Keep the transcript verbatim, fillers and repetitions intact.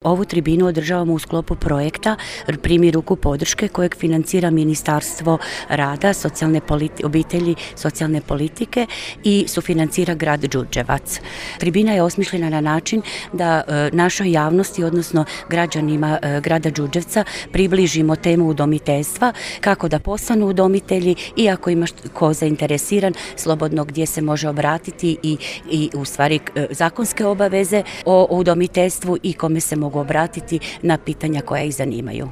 Ovu tribinu održavamo u sklopu projekta Primi ruku podrške kojeg financira Ministarstvo rada, socijalne obitelji, socijalne politike i sufinancira grad Đurđevac. Tribina je osmišljena na način da e, našoj javnosti, odnosno građanima e, grada Đurđevca približimo temu udomiteljstva, kako da postanu udomitelji i ako ima ko zainteresiran, slobodno gdje se može obratiti i, i u stvari e, zakonske obaveze o udomiteljstvu i kome se mogu obratiti na pitanja koja ih zanimaju.